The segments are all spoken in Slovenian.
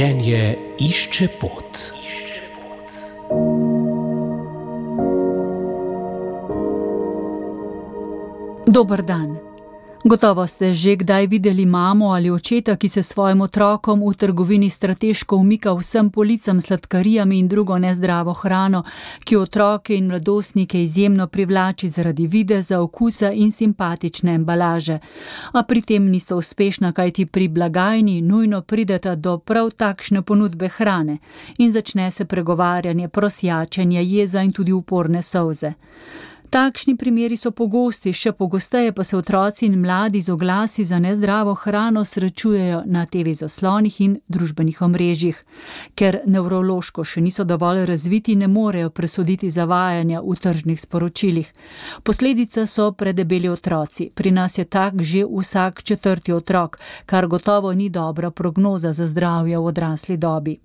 Življenje išče pot. Dober dan. Gotovo ste že kdaj videli mamo ali očeta, ki se svojim otrokom v trgovini strateško umika vsem policam s sladkarijami in drugo nezdravo hrano, ki otroke in mladostnike izjemno privlači zaradi videza, okusa in simpatične embalaže. A pri tem nista uspešna, kajti pri blagajni nujno prideta do prav takšne ponudbe hrane in začne se pregovarjanje, prosjačenje, jeza in tudi uporne solze. Takšni primeri so pogosti, še pogosteje pa se otroci in mladi z oglasi za nezdravo hrano srečujejo na TV zaslonih in družbenih omrežjih. Ker nevrološko še niso dovolj razviti, ne morejo presoditi zavajanja v tržnih sporočilih. Posledica so predebeli otroci. Pri nas je tak že vsak 4. otrok, kar gotovo ni dobra prognoza za zdravje v odrasli dobi.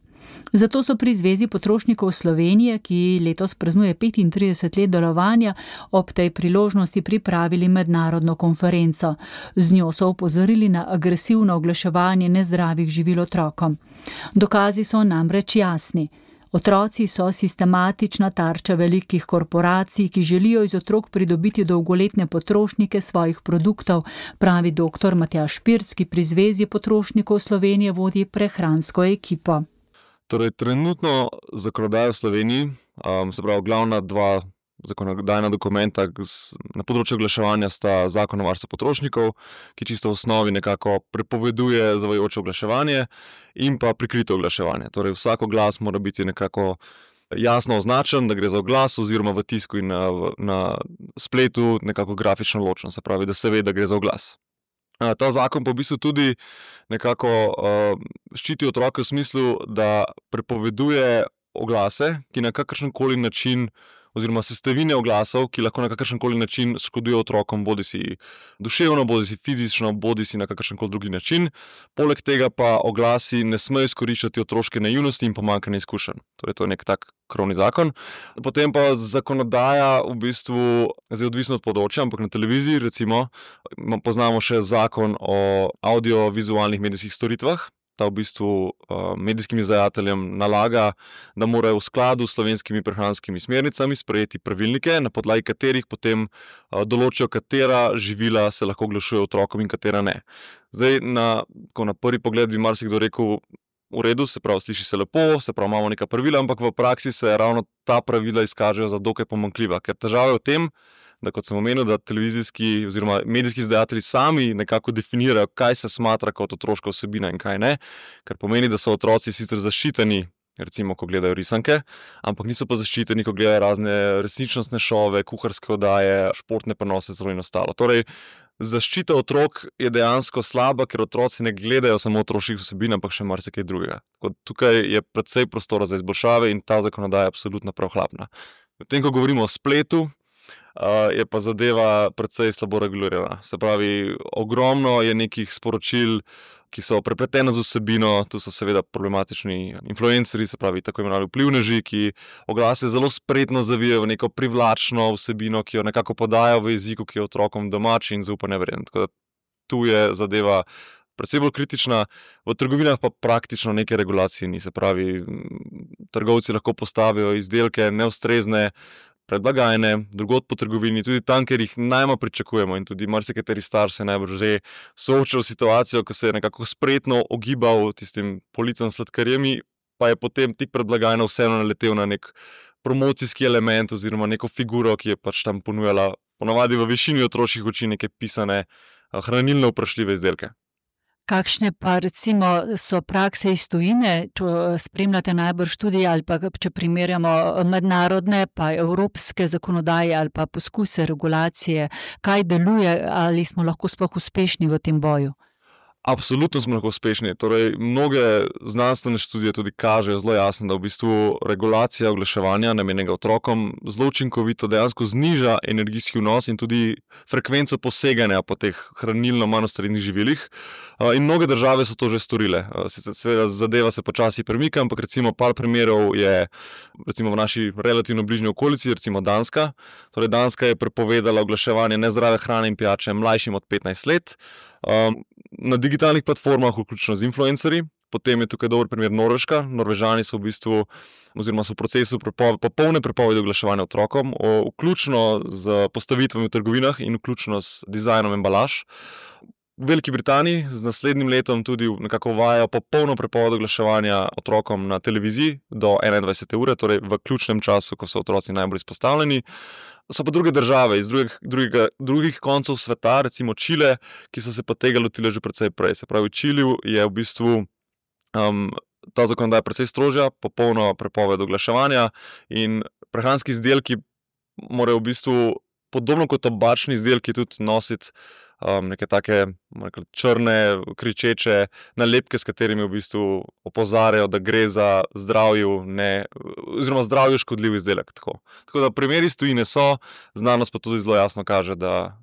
Zato so pri Zvezi potrošnikov Slovenije, ki letos praznuje 35 let delovanja, ob tej priložnosti pripravili mednarodno konferenco. Z njo so opozorili na agresivno oglaševanje nezdravih živil otrokom. Dokazi so namreč jasni. Otroci so sistematična tarča velikih korporacij, ki želijo iz otrok pridobiti dolgoletne potrošnike svojih produktov, pravi dr. Matjaž Pirc, ki pri Zvezi potrošnikov Slovenije vodi prehransko ekipo. Torej, trenutno zakonodaja v Sloveniji, se pravi glavna dva zakonodajna dokumenta na področju oglaševanja sta Zakon o varstvu potrošnikov, ki čisto v osnovi nekako prepoveduje zavajajoče oglaševanje in pa prikrito oglaševanje. Torej, vsak oglas mora biti nekako jasno označen, da gre za oglas oziroma v tisku in na spletu nekako grafično ločen, se pravi, da se ve, da gre za oglas. Ta zakon pa v bistvu tudi nekako ščiti otroke v smislu, da prepoveduje oglase, ki na kakršenkoli način oziroma sestavine oglasov, ki lahko na kakršenkoli način škodujejo otrokom, bodisi duševno, bodisi fizično, bodisi na kakršenkoli drugi način. Poleg tega pa oglasi ne smejo izkoriščati otroške naivnosti in pomanjkanja izkušenj. Torej, to je nek tak krovni zakon. Potem pa zakonodaja v bistvu, zdaj odvisno od področja, ampak na televiziji recimo poznamo še zakon o audiovizualnih medijskih storitvah. Ta v bistvu medijskim izdajateljem nalaga, da morajo v skladu s slovenskimi prehranskimi smernicami sprejeti pravilnike, na podlagi katerih potem določijo, katera živila se lahko oglašujejo otrokom in katera ne. Zdaj, na prvi pogled bi marsikdo rekel, v redu, se pravi, sliši se lepo, se pravi, imamo neka pravila, ampak v praksi se ravno ta pravila izkažejo za dokaj pomanjkljiva, ker težava je v tem, da kot sem omenil, da televizijski oziroma medijski izdajatelji sami nekako definirajo, kaj se smatra kot otroška vsebina in kaj ne, kar pomeni, da so otroci sicer zaščiteni, recimo, ko gledajo risanke, ampak niso pa zaščiteni, ko gledajo razne resničnostne šove, kuharske oddaje, športne prenose in ostalo. Torej, zaščita otrok je dejansko slaba, ker otroci ne gledajo samo otroških vsebin, ampak še marsikaj drugega. Tukaj je precej prostora za izboljšave in ta zakonodaja je absolutno prav hlapna. Medtem ko govorimo o spletu, je pa zadeva precej slabo regulirana. Se pravi, ogromno je nekih sporočil, ki so prepletene z vsebino, tu so seveda problematični influencerji, se pravi tako imenovani vplivneži, ki oglase zelo spretno zavijajo v neko privlačno vsebino, ki jo nekako podajo v jeziku, ki je otrokom domač in zaupanje vreden. Tako da tu je zadeva precej bolj kritična, v trgovinah pa praktično neke regulacije ni. Se pravi, trgovci lahko postavijo izdelke neustrezne pred blagajne, drugod po trgovini, tudi tam, kjer jih najmanj pričakujemo in tudi marsikateri starš se najbrž že soočal s situacijo, ko se je nekako spretno ogibal tistim policam s sladkarijami, pa je potem tik pred blagajno vseeno naletel na nek promocijski element oziroma neko figuro, ki je pač tam ponujala ponavadi v višini otroških oči neke pisane hranilno vprašljive izdelke. Kakšne pa recimo so prakse iz tujine, če spremljate najbrž tudi ali pa če primerjamo mednarodne pa evropske zakonodaje ali pa poskuse regulacije, kaj deluje, ali smo lahko sploh uspešni v tem boju? Absolutno smo lahko uspešni. Torej, mnoge znanstvene študije tudi kažejo zelo jasno, da v bistvu regulacija oglaševanja namenjenega otrokom zelo učinkovito dejansko zniža energijski vnos in tudi frekvenco poseganja po teh hranilno manj ustrezanih živilih. In mnoge države so to že storile. Seveda zadeva se počasi premika, ampak recimo par primerov je recimo v naši relativno bližnji okolici, recimo Danska. Torej, Danska je prepovedala oglaševanje nezdrave hrane in pijače mlajšim od 15 let. Na digitalnih platformah, vključno z influencerji, Potem je tukaj dober primer Norveška. Norvežani so v bistvu, oziroma so v procesu popolne prepovedi oglaševanja otrokom, vključno z postavitvami v trgovinah in vključno s dizajnom embalaž. V Veliki Britaniji z naslednjim letom tudi nekako uvajajo popolno prepoved oglaševanja otrokom na televiziji do 21. ure, torej v ključnem času, ko so otroci najbolj izpostavljeni. So pa druge države iz drugih koncev sveta, recimo Čile, ki so se pa tega lotile že precej prej. Se pravi, v Čiliju je v bistvu ta zakonodaja precej strožja, popolno prepoved oglaševanja in prehranski izdelki morajo v bistvu, podobno kot tobačni izdelki, tudi nositi neke take črne, kričeče nalepke, s katerimi v bistvu opozarjajo, da gre za zdravju škodljiv izdelek. Tako da primeri iz tujine so, znanost pa tudi zelo jasno kaže, da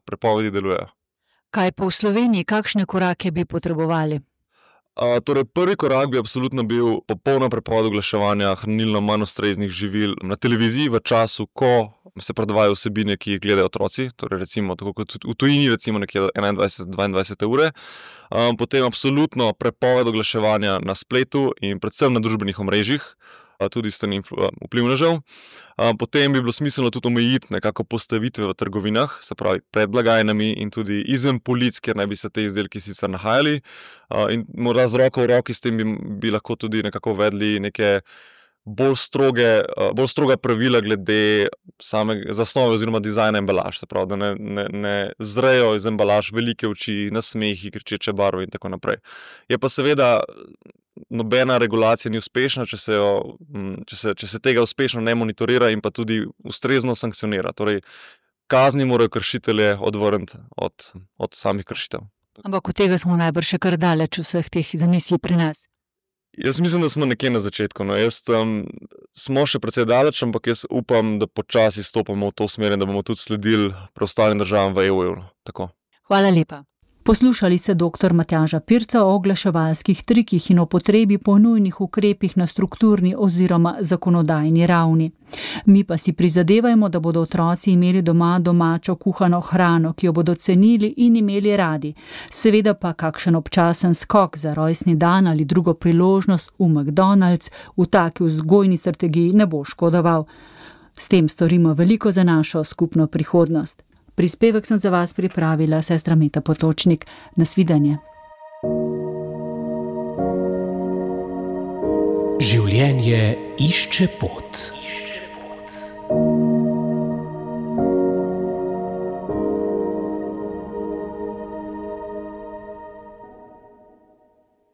prepovedi delujejo. Kaj pa v Sloveniji, kakšne korake bi potrebovali? Torej, prvi korak bi absolutno bil popolna prepoved oglaševanja hranilno manj ustreznih živil na televiziji v času, ko se predvajajo vsebine, ki jih gledajo otroci, torej recimo tako kot v tujini, recimo nekje 21-22 ure. Potem absolutno prepoved oglaševanja na spletu in predvsem na družbenih omrežjih, tudi strani vplivnežev. Potem bi bilo smiselno tudi omejiti nekako postavitve v trgovinah, se pravi pred blagajnami in tudi izven polic, kjer naj bi se te izdelki sicer nahajali. In morda z roko v roki s tem bi lahko tudi nekako uvedli neke bolj stroga pravila glede same zasnove oziroma dizajna embalaž. Se pravi, da ne zrejo iz embalaž velike oči, nasmehi, kričeče barve in tako naprej. Je pa seveda nobena regulacija ni uspešna, če se tega uspešno ne monitorira in pa tudi ustrezno sankcionira. Torej, kazni morajo kršitelje odvrniti od samih kršitev. Ampak od tega smo najbrž še kar daleč vseh teh zamisli pri nas. Jaz mislim, da smo nekje na začetku. Smo še precej daleč, ampak jaz upam, da počasi stopamo v to smer in da bomo tudi sledili preostalim državam v EU. Tako. Hvala lepa. Poslušali ste dr. Matjaža Pirca o oglaševalskih trikih in o potrebi po nujnih ukrepih na strukturni oziroma zakonodajni ravni. Mi pa si prizadevajmo, da bodo otroci imeli doma domačo kuhano hrano, ki jo bodo cenili in imeli radi. Seveda pa kakšen občasen skok za rojstni dan ali drugo priložnost v McDonald's v taki vzgojni strategiji ne bo škodoval. S tem storimo veliko za našo skupno prihodnost. Prispevek sem za vas pripravila sestra Meta Potočnik. Nasvidenje. Življenje išče pot.